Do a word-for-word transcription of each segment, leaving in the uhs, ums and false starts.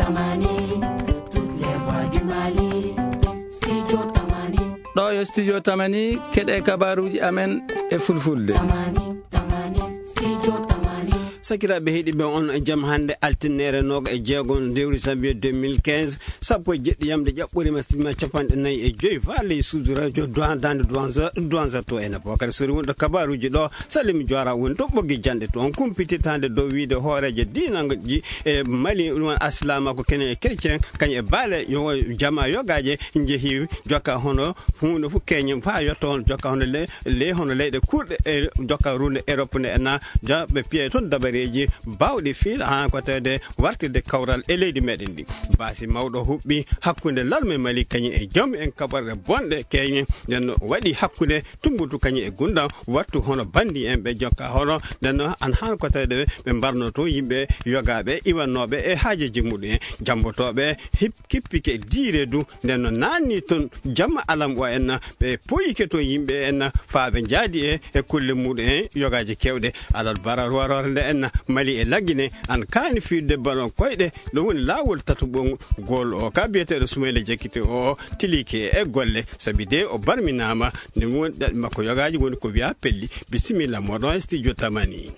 Tamani, toutes les voix du Mali, Studio Tamani. Ɗo yo Studio Tamani, keɗe kabaruuji amen e fulfulde. Tamani, Tamani, Studio Tamani. Sakiraaɓe heɗiiɓe, on jam hannde, altine noogaas e jeego lewru janvier deux mille quinze, sappo e jeɗɗi yamde ƴaɓɓorima, sima capanɗe nayi e joyi, fa ley suudu radio Duwan, Daande Duwan, Duwan Zato en. Bokar Sori wonɗo kabaruuji ɗo, Salim Jora woni to ɓoggi janɗe to. On kumpitirta hannde dow wiide hooreejo diinaji e Mali, ɗum woni alsilaamaaku, keñen e chrétien, kañum e baale yo jama yogaaje njehi jokka hono huunde fof keñen fa yotto hono jokka hono le-, ley hono leyɗe kurɗe e jokka runde Europe nde en na ja-, ɓe piya toon dabareeji baawɗi fiil haa ko tawde wartirde kawral e leydi meɗen ndi. Baasi mawɗo huɓɓi hakkunde larme Mali kañum e joom en kaɓorɗe bonɗe keñen, nden no waɗi hakkunde Tumbutu kañum e Gundam, wattu hono bandi en ɓe jokka hono, nden noon an haan ko tawde ɓe mbarno toon yimɓe yogaaɓe iwannooɓe e haajeeji muɗum en. Jammbotooɓe hip-, kippike diire du, nden no naanni toon jamma alam o en, ɓe poyike toon yimɓe en, faa ɓe njaadi e, e kulle muɗum en yogaaji keewɗe. Alal bara warorde en Mali e Lagine, an kaani fiirde balon koyɗe, ɗum woni laawol tataɓol ngol o ka biyeteeɗo Sumayla Jakite o tilike e golle, sabi de o barminaama, nde woni ɗaɗi makko yogaaji woni ko wiya pelli. Bisimilla, moɗon e studio Tamani.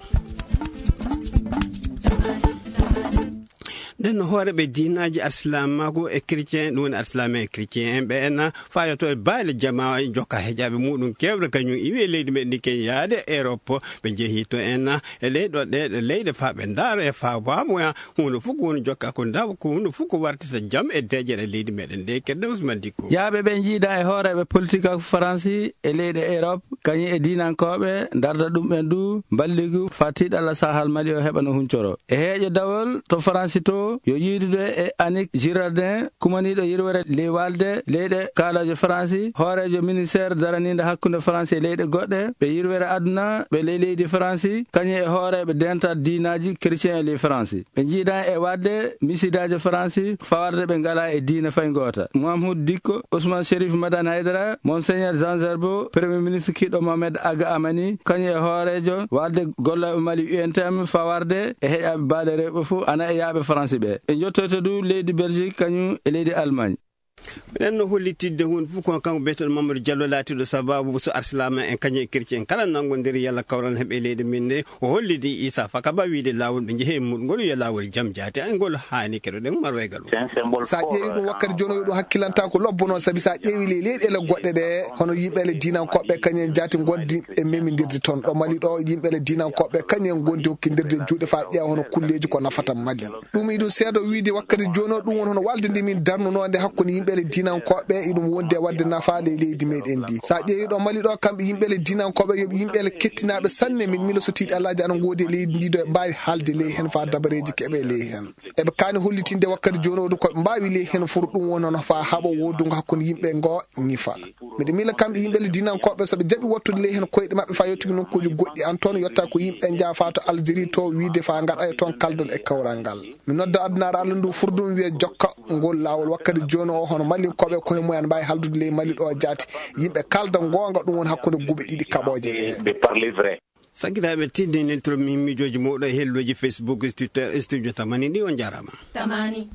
Nden no hooreeɓe diinaaji alsilaamaaku e chrétien, ɗum woni alsilaame e chrétien en ɓe en, fayoto e baale jamaa jokka hejaaɓe muɗum keewɗe kañum iwi e leydi meɗen ndi ken yaade Europe, ɓe njehi to en e leyɗo ɗe, ɗe leyɗe faa ɓe ndaara e faa waamoya huunde fof ko woni jokka ko ndaw ko huunde fof ko wartata jam e deeƴere leydi meɗen nde kedde Ousmane Dicko. Yaaɓe ɓe njiida e hooreeɓe politique ak Faransi e leyɗe Europe, kañum e diinankooɓe, ndarda ɗum en du mballigu faa tiiɗalla sahal Mali o heɓa no huncoro. E heeƴo dawol to Faransi to, yo yiidude e Annick Girardin, kumaniiɗo yirwere ley walde leyɗe kaalooje Faransi, hooreejo ministeer daraniinde hakkunde Faransi e leyɗe goɗɗe, ɓe yirwere aduna ɓe ley leydi Faransi, kañum e hooreeɓe dental diinaaji chrétien e ley Faransi. Ɓe njiidan e waɗde misidaaji Faransi fawarde ɓe ngalaa e diine fay ngoota. Mahmoud Dicko, Ousmane Chérif Madane Haydara, Monseigneur Jean Zerbo, Premier ministre kiɗɗo Mohamed Aga Amani, kañum e hooreejo walde gollooɓe Mali U N T M fawarde e heƴaaɓe baale rewɓe fof, ana e yaaɓe Faransi ɓe. Ɓe njottoyta du leydi Belgique, kañum e leydi Allemagne. Enen no hollitidde huunde fof ko kanko biyeteeɗo Mamadou Diallo laatiiɗo sababu so arsilaama en kañum e chrétien kala nanngondiri yalla kawral heɓe leydi min nde. O hollidi Issa Fakaba wiide laawol ɓe njehe e muɗum ngol yo laawol jam jaati ay ngol haani keɗoɗen marwaygal o. C'est un symbole fort. Sa ƴeewi ɗum wakkati jooni o ɗum hakkilanta ko lobbo noon, sabi sa ƴeewi ley leyɗeele goɗɗe ɗe, hono yimɓeele diinankoɓe kañum en jaati ngondi e memindirde toon. Ɗo Mali ɗo yimɓeele diinankoɓe kañum en ngondi hokkindirde juuɗe fa ƴeewa hono kulleeji ko nafata Mali. Ɗum iɗum seedo wiide wakkati jooni o, ɗum woni hono walde nde min darnunoo nde hakkunde yimɓeele diinankoɓe, iɗum wondi e wadde nafa ley leydi meɗen ndi. Sa ƴeewi ɗo Mali ɗo, kamɓe yimɓeele diinankoɓe yoɓe yimɓeele kettinaaɓe sanne, min milo so tiiɗi Allaaji ana ngoodi e leydi ndi ɗo, ɓe mbaawi haalde ley heen fa dabareeji keɓe ley heen. Eɓe kaani hollitinde wakkati jooni o du ko ɓe mbaawi ley heen fur, ɗum woni hono fa haɓo woodungo hakkunde yimɓe ngo ñifa. Miɗo miila kamɓe yimɓe le diinankoɓe, so ɓe jaɓi wattude ley heen koyɗe maɓɓe faa yettude nokkuuji goɗɗi, an toon yotta ko yimɓe njaafa to Algérie to wiide faa ngaɗa e toon kaldal e kawral ngal. Mi nodda addunaare Allah ndu fur ɗum wiya jokka ngol laawol wakkati jooni o, hono Malinkoɓe koye mumen mbaawi haldude ley Mali ɗo jaati. Yimɓe kalda goonga, ɗum woni hakkunde guuɓe ɗiɗi kaɓooje ɗe. De parler vrai. Sakiraaɓe tinde neltoro mi miijooji mawɗo e helloji Facebook, Twitter, Studio Tamani ɗi, on njaaraama. Tamani.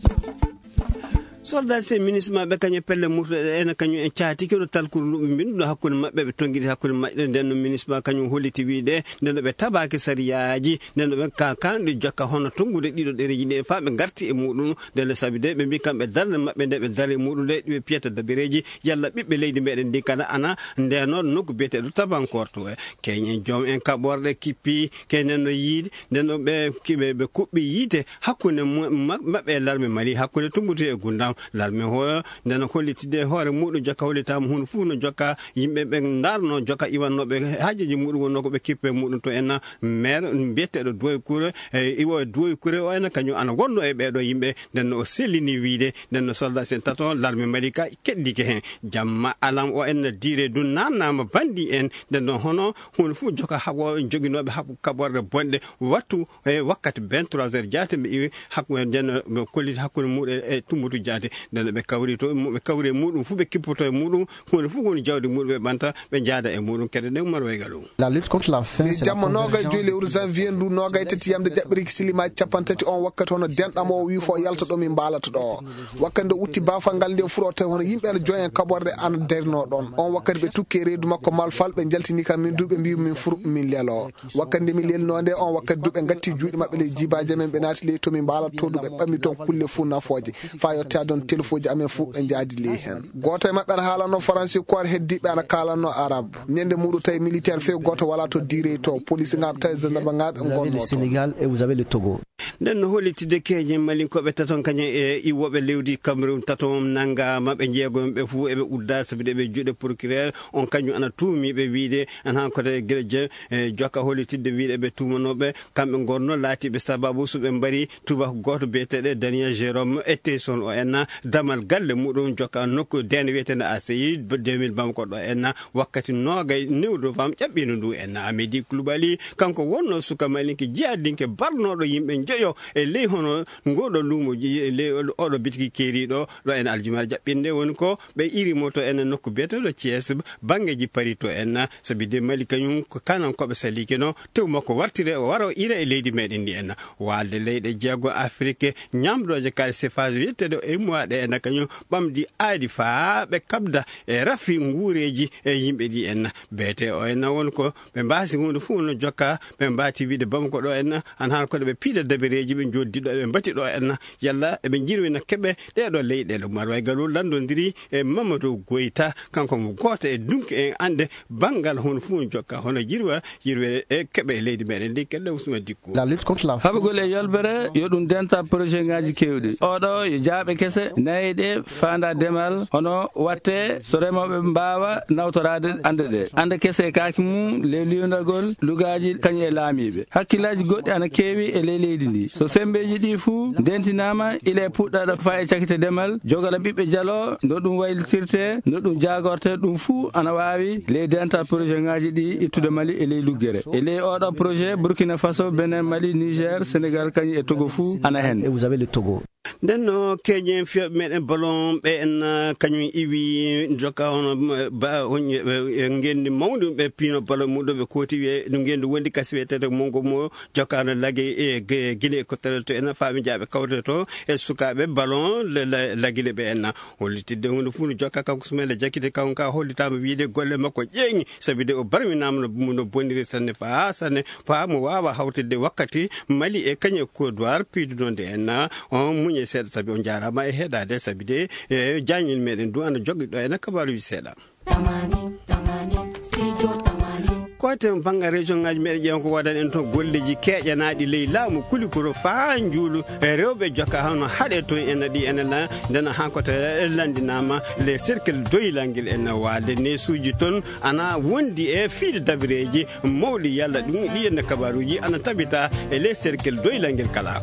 Soldat sen minisma ɓe kañum pelle murtuɗe ene kañum en caati keɗo talkuru luɓe mbinduɗo hakkunde maɓɓe ɓe tonngiri hakkunde maɓɓe nden no minisma kañum holliti wiide nden no ɓe tabaaki sariyaaji nden no ɓe ka kanɗe jokka hono tonngude ɗiɗo ɗereji ɗe faa ɓe ngarti e muɗum nden no sabi de ɓe mbi kamɓe darde maɓɓe nde ɓe dari e muɗum nde ɓe piyata dabireeji yalla ɓiɓɓe leydi meɗen ndi kana ana ndeno nokku biyeteɗo tabankor to e keñen joom en kaɓorɗe kippi keñen no yiide nden no ɓe kiɓe ɓe kuɓɓi yiite hakkunde mu- ma- maɓɓe e larme Mali hakkunde tumbutu e gundam larme ho nden no hollitide hoore muɗum jokka hollitama hunde fof no jokka yimɓe ɓe ndarno jokka iwannoɓe haajeji muɗum wonno ko ɓe kippe muɗum to en maire biyeteɗo Doy Kure e iwo e Doy Kure o en kañum ana wonno e ɓeɗo yimɓe nden no o sellini wiide nden no soldat sen tato larme Mali ka keddike hen jamma alam o en dire dun nannama bandi en nden no hono hunde fof joka haɓo joginooɓe haɓo kaɓorɗe bonɗe wattu e wakkati vingt-trois heures jaate ɓe iwi hakkunde nden ɓe kolliti hakkunde muɗum e tumbutu jaate Nden ɓe kawri to, ɓe kawri e muɗum fuu, ɓe kippoto e muɗum, huunde fuu woni jawdi muɗum, ɓe ɓanta, ɓe njaada e muɗum. Kede ɗen Umar Waygalu. La lutte contre la faim, c'est la jamma convergence nogay joyi de lewru janvier ndu, nogay tati yamde jaɓɓiriki silimaji capanɗe tati. On wakkati hono denɗam o wi fo yalta ɗo min mbaalata ɗo. Wakkati nde utti bafal ngal nde furo tawi hono yimɓe ana joyen kaɓorde ana darino ɗon. On wakkati ɓe tukke reedu makko malfal, ɓe jaltini kam min duuɓe mbiyu min furu min lelo. Wakkati nde min lelno nde, on wakkati duuɓe ngatti juuɗe maɓɓe ley jibaji men, ɓe naati ley to min mbaalata to, ɓe ɓammi ton kulle fuu nafooje. Fa yotta ɗon telefoji amen fuu ɓe njaadi ley hen. Gooto e maɓɓe ana haalanno faransi, ko heddiɓe ana kaalanno arab. Ñande muɗum tawi militaire few gooto wala to direy to. Police ngaɓe tawi gendarme ngaɓe. Vous avez le gonno to Sénégal et vous avez le Togo. Nden no hollitide keeñen malinkoɓe taton kañum e iwoɓe lewdi Cameroun taton nangama, ɓe jeegoɓe fuu eɓe udda sabi de ɓe juuɗe procureur on kañum ana tuumi ɓe wiide ana han kote gila je, e, jokka hollitidde wiide ɓe tuumanoɓe kamɓe gonno laatiɓe sababu so ɓe mbari tubako gooto biyeteɗo Daniel Jérôme Etteson o en damal galle muɗum jokka nokku deen wiyetende A C I deux mille Bamako ɗo en wakkati nogay newdo fam ƴaɓɓino ndu en. Amedi Kulubali kanko wonno suka malinke jiyadinke barnoɗo yimɓe njoyo e ley hono ngoɗo lumo ji-, e ley oɗo bitiki keeriɗo ɗo en aljumare jaɓɓinde woni ko ɓe iri mo to en nokku biyeteɗo Thiès banngeji Paris to en sabi de Mali kañum ko kanan koɓe saliki no tew makko wartire o waro ira e leydi meɗen ndi en. Walde leyɗe jeego Afrique ñamdoje kala sefage wiyetteɗo e mois ɗe en kañum ɓamdi aadi faa ɓe kabda e rafi nguureji e yimɓe ɗi en. Beete o en won ko ɓe mbasi hunde fuu no jokka ɓe mbati wiide Bamako ɗo en an han koɗo ɓe piida dabereji ɓe joddi ɗo ɓe mbati ɗo en yalla eɓe jirwina keɓe ɗeɗo leyɗele. Umar Waygalu landodiri e Mamadou Goyta kanko mo gooto e dunki en ande banngal hono fuu jokka hono jirwa jirwe e keɓe e leydi meɗen ndi kelle usma dikku. La lutte contre la faim. Haɓugol e yolbere yo ɗum denta projet ngaji kewɗi. Oɗo yo jaaɓe kese nayi ɗe faanda demal hono watte so remoɓe mbawa nawtorade ande ɗe. Ande kese e kaaki mum le liwndagol lugaji kañum e laamiɓe. Hakkillaji goɗɗi ana keewi e ley leydi ndi. So sembeji ɗi fuu ndentinama ila e puɗɗaɗo fa e cakite demal, jogala ɓiɓɓe jalo, no ɗum waylitirte, no ɗum jagorte, ɗum fuu ana waawi ley dental projet ngaji ɗi ittude Mali e ley luggere. E ley oɗo projet, Burkina Faso, Benin, Mali, Niger, Sénégal, kañum e Togo fuu ana hen. Et vous avez le Togo. Nden no keeñen fiyooɓe meɗen ballon ɓe en, uh, kañum iwi jokka hono, uh, ba, on, uh, uh, ngenndi mawndi ɓe piino ballon muɗum ɓe kooti wiye no ngenndi wondi kasi wiyetede mongo mo jokka no lagi e ge-, gine ko tele to en fami jaaɓe kawte to e sukaaɓe ballon le, le, lagine ɓe en hollitidde hunde fuu no jokka kanko Sumayla Jakite kanko ka hollitaama wiide golle makko ƴeeŋi sabi de o barminaama no, no boniri sanne faa sanne faa mo waawa hawtidde wakkati Mali e kañum e Côte d'Ivoire piiduno nde en. On muñe seeɗa sabi on jaaraama e heɗaade sabi de e jaañel meɗen du ana joggi ɗo en kabaaruji seeɗa. Tamani, tamani, studio tamani. Ko ten banngal région ngaji meɗen ƴeewa ko waɗan en toon golleji keeƴanaaɗi ley laamu kulikoro faa njuulu e rewɓe jokka hano haɗe toon en ɗi enen la ndena han ko tawi en lanndinaama les cercles doylangel en waalde neesuuji toon ana wondi e fiide dabireeji mawɗi yalla ɗum ɗi enne kabaaruuji ana tabita e les cercles doylangel kala.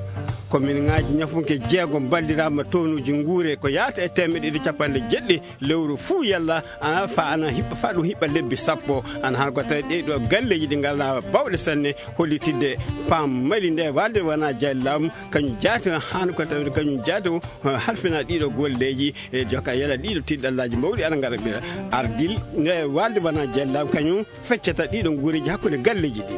Komin ngaaji ñafunke jeego mballiraama townuuji nguure ko yaata e teemeɗe ɗiɗi capanɗe jeɗɗi lewru fuu yalla ana fa ana hiɓɓa fa ɗum hiɓɓa lebbi sappo ana han ko tawi ɗe ɗo galleeji ɗi ngalna bawɗe sanne hollitidde pam mali nde walde wona jallaamu kañum jaati han ko tawi kañum jaati halfina ɗiɗo golleeji e joka yala ɗiɗo tiɗɗallaaji mawɗi ana ngara ɓe ardil nde walde wona jallaamu kañum feccata ɗiɗo nguureeji hakkunde galleeji ɗi.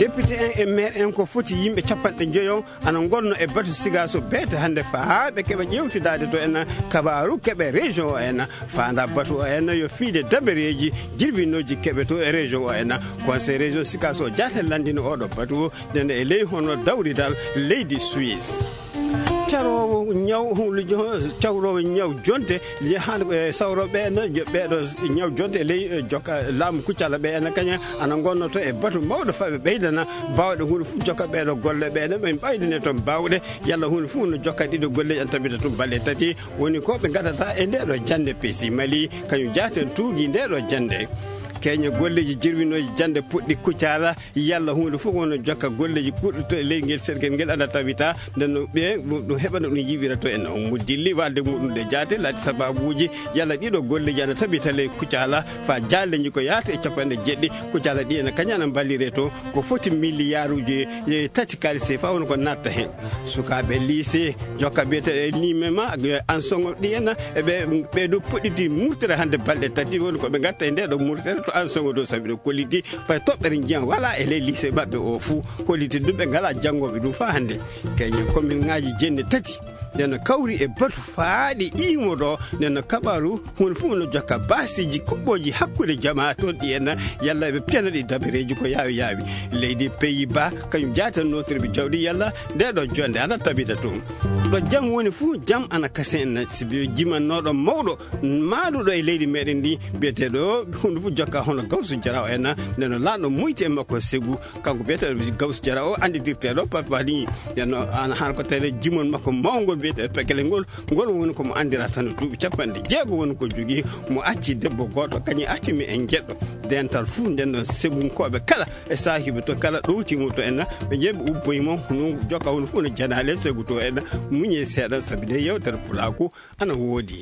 Député en e maire en ko foti yimɓe capanɗe njoyo ana ngonno e batu sigaso beete hannde faa ɓe keɓa ƴewtidaade to en kabaaru keɓe région o en faanda batu o en yo fiide dabereeji jirbinooji keɓe to e région o en. Conseil région sigaso jaate lanndino oɗo batu o ndene e ley hono dawridal leydi Suisse. Caroowo ñaw cawroowo ñaw jonte han sawrooɓe ɓeeɗo ñaw jonte e ley jokka laamu kuccala ɓe ena kaña ana ngonnoto e batu mawɗo faɓe ɓeydana baawɗe hunde fof jokka ɓeeɗo golle ɓeeɗo ɓe ɓaydane toon baawɗe yalla hunde fof no jokka ɗiɗo golleji ana tabita tun balɗe tati woni ko ɓe gadata e ndeɗo jannde peesi mali kañum jaaten tuugi ndeɗo jannde. Keñe golleeji jirwinooji jannde puɗɗi Kucala, yalla huunde fof wona jokka golleeji kuuɗɗo to e ley ngel sergel ngel ana tabita, nden no ɓe ɗum heɓana ɗum yiɓira to en. Mo dilli waalde muɗum nde jaate, laati sababuuji, yalla ɗiɗo golleeji ana tabita ley Kucala, fa jaalleeji ko yaata e capanɗe jeɗɗi, Kucala ɗi ena kañana mballire to, ko foti miliyaaruuji e tati kaalis sefa woni ko natta heen. Sukaaɓe lycée, jokka biyeteeɗo e nime ma, an songo ɗi ena, e ɓe, ɓe ɗo puɗɗiti murtere hannde balɗe tati, woni ko ɓe ngatta e nde ɗo murtere to an songo ɗo, sabi ɗo kolliti fay toɓɓere njiyan wala e ley lycée maɓɓe o fuu, kolliti ɗum ɓe ngala janngooɓe ɗum faa hannde. Keñen commune ŋaaji jenne tati, nden no kawri e batu faaɗi iimo ɗo, nden no kabaru huunde fof no jokka baasiiji kuɓɓooji hakkunde jamaa toon ɗi en, yalla ɓe piyana ɗi dabareeji ko yaawi yaawi. Leydi Pays-Bas, kañum jaata nootirɓe jawɗi yalla nde ɗo jonde ana tabita toon. Ɗo jam woni fof, jam ana kasen en, sibi jimannooɗo mawɗo maaɗuɗo e leydi meɗen ndi, biyeteeɗo huunde fof jokka hono Gawsu Jara o en, nden no laanɗo moyti e makko Segu, kanko biyeteeɗo Gawsu Jara o annditirteeɗo Papali, nden no ana han ko tawde jimon makko mawngol biyeteeɗo Pekele ngol, ngol woni ko mo anndira tan duuɓi capanɗe jeego woni ko jogii, mo acci debbo gooto, kañum acci mi en jeɗɗo. Dental fuu nden no Segunkooɓe kala e saahiiɓe to kala ɗowti mo to en, ɓe jeeɓi ubboyi mo, no jokka woni fof no janaale Segu to en, muñe seeɗa sabi nde yewtere pulaaku ana woodi.